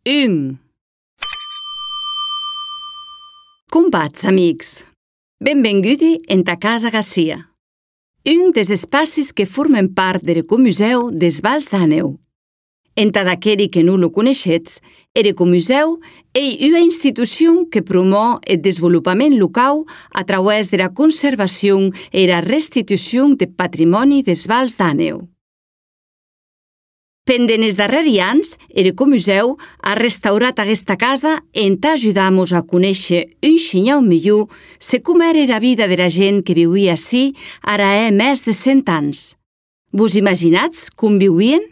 1. Com vaig, amics? Benvinguti en ta casa Garcia, un dels espacis que formen part del Ecomuseu des Vals d'Àneu. Entà d'aqueri que non lo coneixetz, er Ecomuseu ei una institució que promou el desenvolupament local a través de la conservació e la restitució del patrimoni des Vals d'Àneu. Pendent els darrers anys, el Ecomuseu ha restaurat aquesta casa entà ajudar-nos a conèixer un xinyau millor se com era la vida de la gent que vivia ací ara més de 100 anys. Vos imaginatz com vivien?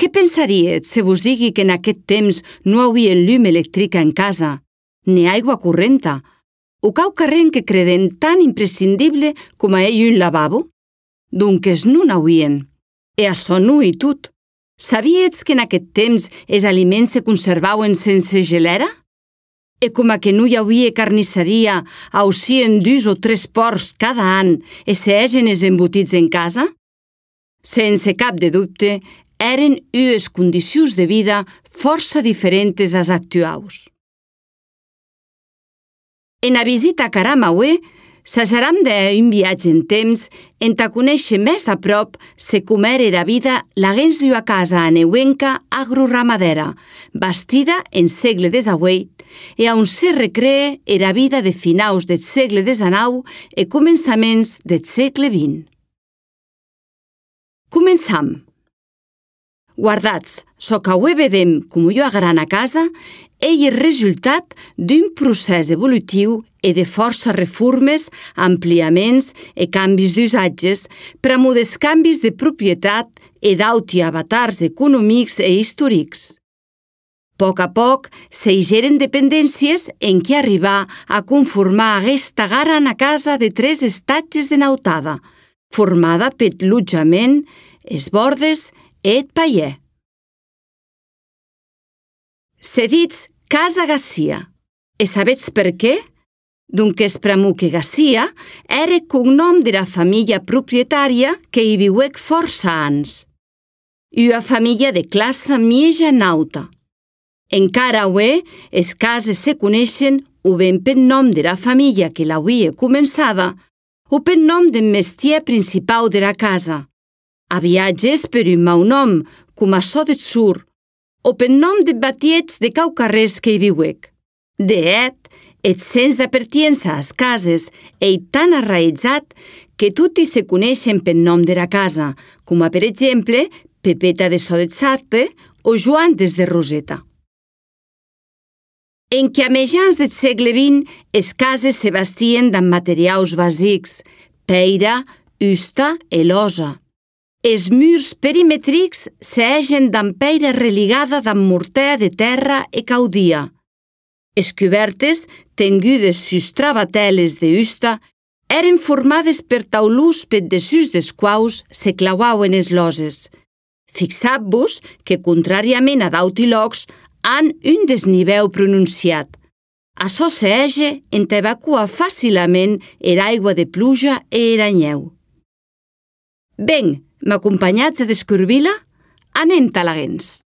Què pensaríetz se vos digui que en aquest temps no hi havia llum elèctrica en casa, ni aigua correnta, o quauquarren que creden tan imprescindible com a ell un lavabo? Donques no n'havien. E açò no i tot. Sabietz que en aquest temps els aliments se conservaven sense gelera? E com que no hi havia carnisseria, aucien 2 o 3 porcs cada any e se egen els embotits en casa? Sense cap de dubte, eren unes condicions de vida força diferents als actuals. En la visita a Caramaué, s'ajaram d'un viatge en temps entà conèixer més de prop se com era la vida laguens d'una casa aneuenca agroramadera, bastida en segle XVIII e on se recrea la vida de finaus del segle XIX e començaments del segle XX. Començam. Guardatz, çò qu'aué vedem com una grana casa ei el resultat d'un procés evolutiu e de força reformes, ampliaments e canvis d'usatges per a models canvis de propietat e d'auti avatars econòmics e històrics. A poc s'eigeren dependències en què arribar a conformar aquesta grana casa de 3 estatges de nautada, formada per l'allotjament, els bordes e el paier. Se ditz Casa Garcia. E sabetz per què? Donques pr'amor que Garcia era el cognom de la família proprietària que hi viuec força anys. Una família de classe mitjana alta. Encara avui, les cases se coneixen o ben pel nom de la família que l'havia començada o pel nom del mestier principal de la casa. A viatges per un mau nom, com açò de Tsur, o pel nom de batiets de quaucarrers que hi viuec. De et, el sens de pertiença a les cases ei tan arraitzat que tutti se coneixen pel nom de la casa, com a, per exemple, Pepeta de Sodet-Sarte o Joan des de Roseta. En què a mitjans del segle XX, les cases se bastien d'amb materials bàsics, peira, usta e losa. Els murs perimetrics s'egen d'amb peira religada d'amb morter de terra e caudia. Les cobertes, tengudes sus travateles de usta, eren formades per taulús per desús dels quals se clauauen les loses. Fixat-vos que, contràriament a d'auti locs, han un desnivell pronunciat. Açò s'ege entà evacuar fàcilament l'aigua de pluja e era neu. Ben, m'acompanyatz a descobrir-la? Anem talaguens.